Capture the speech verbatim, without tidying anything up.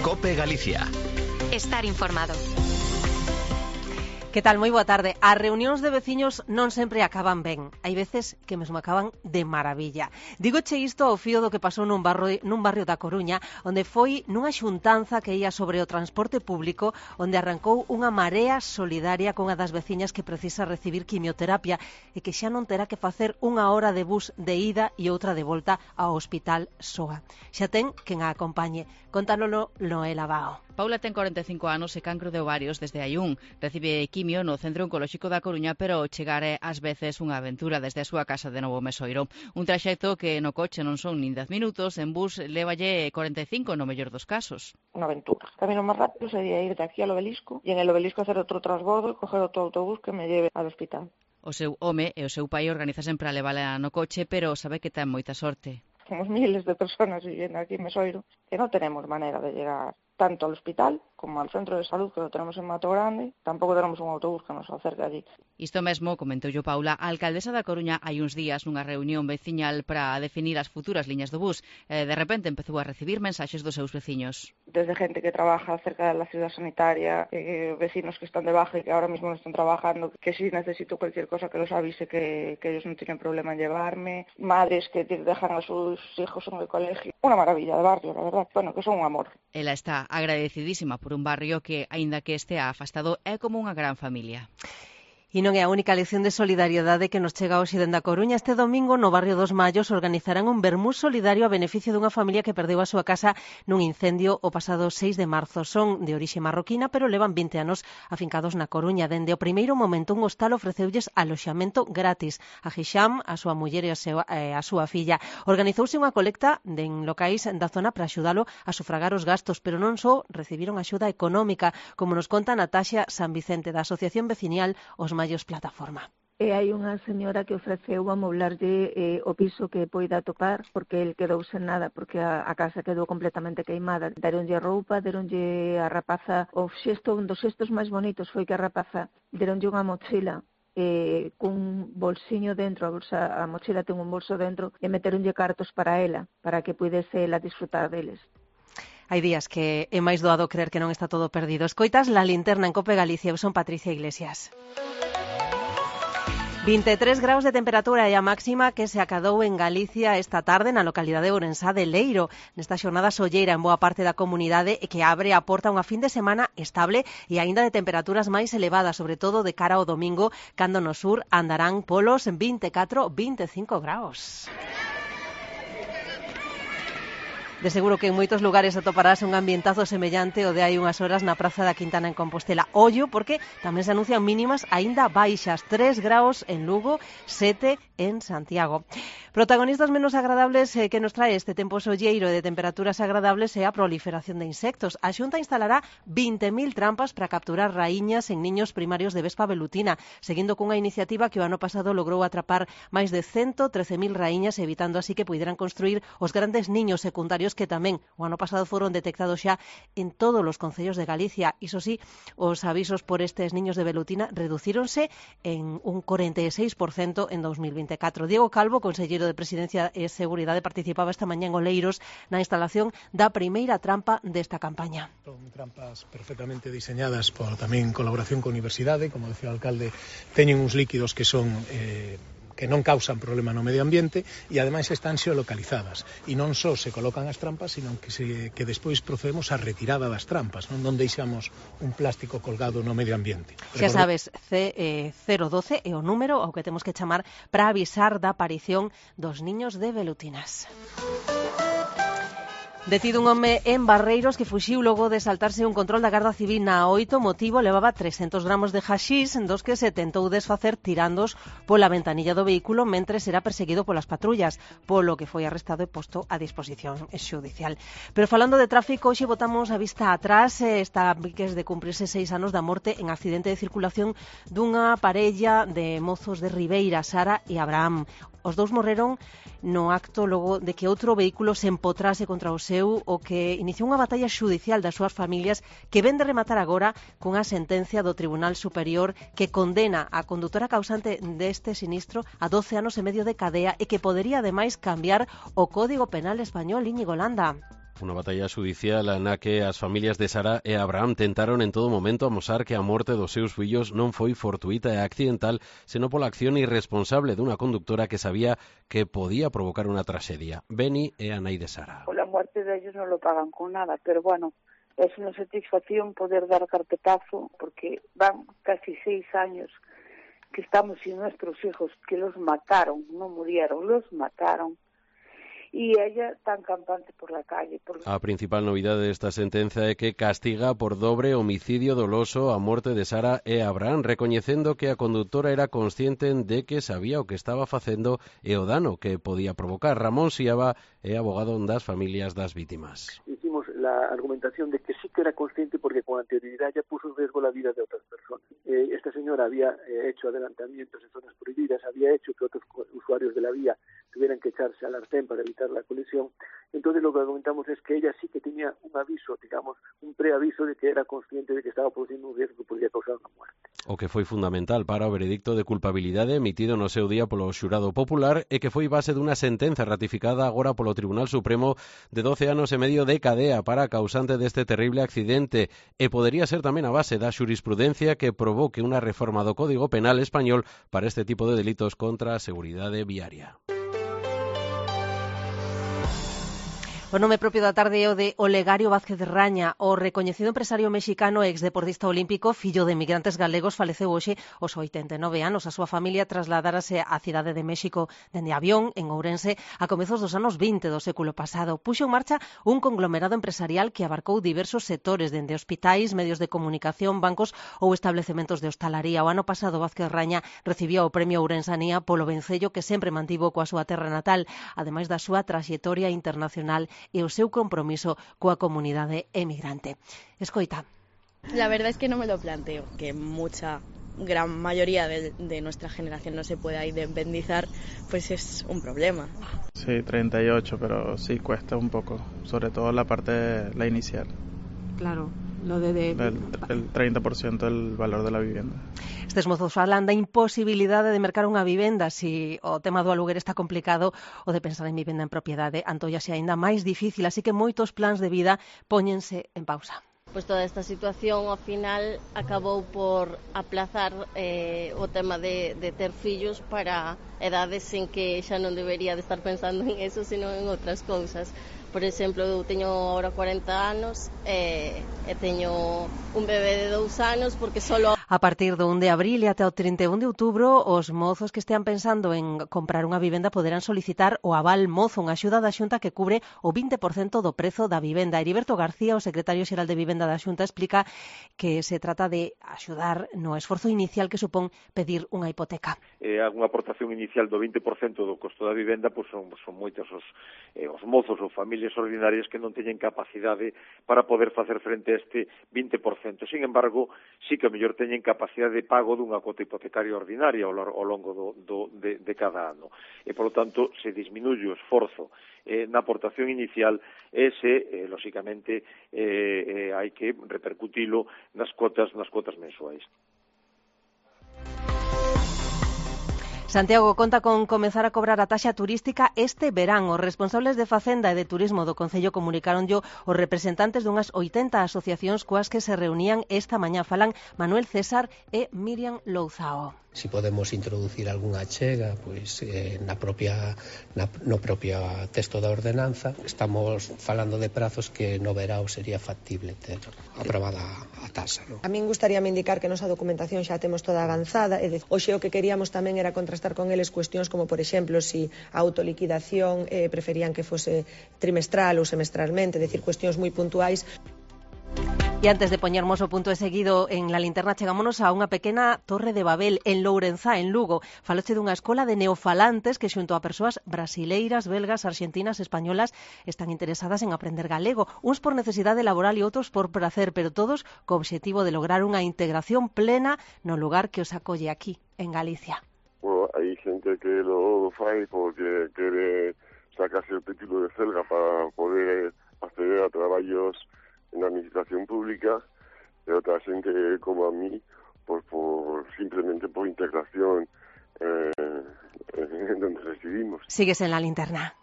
COPE Galicia. Estar informado. Que tal? Moi boa tarde. As reunións de veciños non sempre acaban ben. Hai veces que mesmo acaban de maravilla. Dígoche isto ao fío do que pasou nun barrio, nun barrio da Coruña, onde foi nunha xuntanza que ia sobre o transporte público, onde arrancou unha marea solidaria con unha das veciñas que precisa recibir quimioterapia e que xa non terá que facer unha hora de bus de ida e outra de volta ao hospital soa. Xa ten quen a acompañe. Contánolo Noela Bao. Paula ten corenta e cinco anos e cancro de ovarios desde hai un. Recibe quimio no Centro Oncolóxico da Coruña, pero chegar é ás veces unha aventura desde a súa casa de Novo Mesoiro. Un traxecto que no coche non son nin dez minutos, en bus lévalle corenta e cinco no mellor dos casos. Unha aventura. O camino máis rápido sería ir de aquí ao Obelisco e en el Obelisco hacer outro transbordo e coger outro autobús que me lleve ao hospital. O seu home e o seu pai organiza sempre a levala no coche, pero sabe que ten moita sorte. Somos miles de personas viviendo aquí en Mesoiro que non tenemos manera de llegar tanto al hospital como al centro de salud que lo tenemos en Mato Grande, tampouco tenemos un autobús que nos acerque allí. Isto mesmo comentou yo Paula, a alcaldesa da Coruña hai uns días nunha reunión veciñal para definir as futuras liñas do bus. E de repente empezou a recibir mensaxes dos seus veciños. Desde gente que trabaja cerca de la ciudad sanitaria, eh, vecinos que están de baja y que ahora mismo no están trabajando, que si necesito cualquier cosa que los avise que, que ellos no tienen problema en llevarme, madres que dejan a sus hijos en el colegio. Una maravilla de barrio, la verdad. Bueno, que son un amor. Ela está agradecidísima por un barrio que, aínda que estea afastado, é como unha gran familia. E non é a única lección de solidariedade que nos chega hoxe dende a Coruña. Este domingo no barrio dos Mallos organizarán un vermú solidario a beneficio dunha familia que perdeu a súa casa nun incendio o pasado seis de marzo. Son de orixe marroquina, pero levan vinte anos afincados na Coruña. Dende o primeiro momento un hostal ofreceulles aloxamento gratis a Hisham, a súa muller e a, seu, eh, a súa filla. Organizouse unha colecta en locais da zona para axudalo a sufragar os gastos, pero non só recibiron axuda económica, como nos conta Nataxa San Vicente da Asociación Vecinial Os Mallos Plataforma. E hai unha señora que ofreceu amoblarlle eh, o piso que poida topar, porque el quedou sen nada, porque a, a casa quedou completamente queimada. Deronlle roupa, deronlle a rapaza, o xesto, un dos xestos máis bonitos foi que a rapaza deronlle unha mochila eh, cun bolsiño dentro, a, bolsa, a mochila ten un bolso dentro, e meteronlle cartos para ela, para que pudese ela disfrutar deles. Hai días que é máis doado creer que non está todo perdido. Escoitas La Linterna en COPE Galicia. Eu son Patricia Iglesias. vinte e tres graus de temperatura e a máxima que se acadou en Galicia esta tarde na localidade de Ourensá de Leiro, nesta xornada solleira en boa parte da comunidade e que abre a porta unha fin de semana estable e aínda de temperaturas máis elevadas, sobre todo de cara ao domingo, cando no sur andarán polos vinte e catro a vinte e cinco graus. De seguro que en moitos lugares atoparás un ambientazo semellante ao de hai unhas horas na Praza da Quintana en Compostela. Ollo, porque tamén se anuncian mínimas aínda baixas, tres graus en Lugo, sete en Santiago. Protagonistas menos agradables eh, que nos trae este tempo solleiro e de temperaturas agradables é a proliferación de insectos. A Xunta instalará vinte mil trampas para capturar raíñas en niños primarios de vespa velutina, seguindo cunha iniciativa que o ano pasado logrou atrapar máis de ciento trece mil raíñas, evitando así que puderan construir os grandes niños secundarios que tamén o ano pasado foron detectados xa en todos os concellos de Galicia. Iso sí, os avisos por estes niños de velutina reducíronse en un corenta e seis por cento en dos mil vinte e catro. Diego Calvo, conselleiro de Presidencia e Seguridade, participaba esta mañá en Oleiros na instalación da primeira trampa desta campaña. Son trampas perfectamente diseñadas por tamén colaboración con a universidade, como decía o alcalde, teñen uns líquidos que son eh, que non causan problema no medio ambiente e ademais están xeolocalizadas e non só se colocan as trampas, sino que, se, que despois procedemos a retirada das trampas, non, non deixamos un plástico colgado no medio ambiente. Xa sabes, C, eh, cero doce é o número ao que temos que chamar para avisar da aparición dos niños de velutinas. Detido un home en Barreiros que fuxiu logo de saltarse un control da Garda Civil na oito. Motivo: levaba trescentos gramos de haxís dos que se tentou desfacer tirándos pola ventanilla do vehículo mentres era perseguido polas patrullas, polo que foi arrestado e posto a disposición xudicial. Pero falando de tráfico, hoxe botamos a vista atrás. Está a piques de cumprirse seis anos da morte en accidente de circulación dunha parella de mozos de Ribeira, Sara e Abraham. Os dous morreron no acto logo de que outro vehículo se empotrase contra o seu, o que iniciou unha batalla xudicial das súas familias que ven de rematar agora cunha sentencia do Tribunal Superior que condena a condutora causante deste sinistro a doce anos e medio de cadea e que podería ademais cambiar o Código Penal español. Íñigo Landa. Unha batalla xudicial na que as familias de Sara e Abraham tentaron en todo momento amosar que a morte dos seus fillos non foi fortuita e accidental, senón pola acción irresponsable dunha conductora que sabía que podía provocar unha traxedia. Beni é a nai de Sara. Por la muerte de ellos no lo pagan con nada, pero bueno, es una satisfacción poder dar carpetazo porque van casi seis años que estamos sin nuestros hijos, que los mataron, no murieron, los mataron. E ella tan campante por la calle. Por... A principal novidade desta sentenza é que castiga por dobre homicidio doloso a morte de Sara e Abraham, recoñecendo que a conductora era consciente de que sabía o que estaba facendo e o dano que podía provocar. Ramón Siaba é abogado das familias das vítimas. Hicimos la argumentación de que sí que era consciente porque con anterioridad ya puso en riesgo la vida de otras personas. Eh, esta señora había eh, hecho adelantamientos en zonas prohibidas, había hecho que otros usuarios de la vía tuvieran que echarse al arcén para evitar la colisión. Entonces lo que argumentamos es que ella sí que tenía un aviso, digamos, un preaviso de que era consciente de que estaba produciendo un riesgo que podría causar una muerte. O que foi fundamental para o veredicto de culpabilidade emitido no seu día polo xurado popular e que foi base dunha sentenza ratificada agora polo Tribunal Supremo de doce anos e medio de cadea para a causante deste terrible accidente e podería ser tamén a base da xurisprudencia que provoque unha reforma do Código Penal español para este tipo de delitos contra a seguridade viaria. O nome propio da tarde é o de Olegario Vázquez Raña, o recoñecido empresario mexicano e exdeportista olímpico, fillo de emigrantes galegos, faleceu hoxe aos oitenta e nove anos. A súa familia trasladárase á cidade de México dende avión, en Ourense, a comezos dos anos vinte do século pasado. Puxo en marcha un conglomerado empresarial que abarcou diversos sectores, dende hospitais, medios de comunicación, bancos ou establecementos de hostalaría. O ano pasado Vázquez Raña recibía o premio Ourensanía polo vencello que sempre mantivo coa súa terra natal, ademais da súa traxectoria internacional e o seu compromiso coa comunidade emigrante. Escoita. La verdad es que no me lo planteo, que mucha, gran mayoría de, de nuestra generación no se pueda independizar, pues es un problema. Sí, treinta y ocho, pero sí cuesta un poco, sobre todo la parte, la inicial. Claro. Lo de, de... El, el treinta por ciento del valor de la vivienda. Estes mozos falan da imposibilidade de mercar unha vivenda. Si o tema do aluguer está complicado, o de pensar en vivenda en propiedade antóllase aínda máis difícil, así que moitos plans de vida póñense en pausa. Pues toda esta situación ao final acabou por aplazar eh, o tema de, de ter fillos para edades en que xa non debería de estar pensando en eso, sino en outras cousas. Por exemplo, eu teño agora cuarenta anos e, e teño un bebé de dous anos porque solo... A partir do un de abril e até o trinta e un de outubro, os mozos que estean pensando en comprar unha vivenda poderán solicitar o aval mozo, unha axuda da Xunta que cubre o vinte por cento do prezo da vivenda. Heriberto García, o secretario xeral de Vivenda da Xunta, explica que se trata de axudar no esforzo inicial que supón pedir unha hipoteca. Eh, unha aportación inicial do vinte por cento do costo da vivenda, pois son, son moitos os, eh, os mozos ou familias ordinarias que non teñen capacidade para poder facer frente a este vinte por cento. Sin embargo, sí que a mellor teñen capacidade de pago dunha cota hipotecaria ordinaria ao longo do, do, de, de cada ano. E, polo tanto, se disminuye o esforzo eh, na aportación inicial e se, eh, lóxicamente, eh, eh, hai que repercutilo nas cuotas, nas cuotas mensuais. Santiago conta con comezar a cobrar a taxa turística este verán. Os responsables de Facenda e de Turismo do Concello comunicaronllo os representantes dunhas oitenta asociacións coas que se reunían esta mañá. Falan Manuel César e Miriam Louzao. Si podemos introducir algunha achega pois, eh, na propia, na, no propio texto da ordenanza. Estamos falando de prazos que no verao sería factible ter aprobada a taxa. ¿No? A min gustaríame indicar que nosa documentación xa temos toda avanzada, e de, hoxe o que queríamos tamén era contrastar con eles cuestións como, por exemplo, si a autoliquidación eh, preferían que fose trimestral ou semestralmente, é dicir, cuestións moi puntuais. E antes de poñermos o punto de seguido en la linterna, chegámonos a unha pequena torre de Babel en Lourenzá, en Lugo. Faloche dunha escola de neofalantes que xunto a persoas brasileiras, belgas, arxentinas, españolas están interesadas en aprender galego, uns por necesidade laboral e outros por placer, pero todos co obxectivo de lograr unha integración plena no lugar que os acolle aquí, en Galicia. Bueno, hai xente que lo fai porque quere sacarse o título de celga para poder acceder a traballos na administración pública, e outra xente como a mí, por, por simplemente por integración eh, en donde residimos. Sigues en la linterna.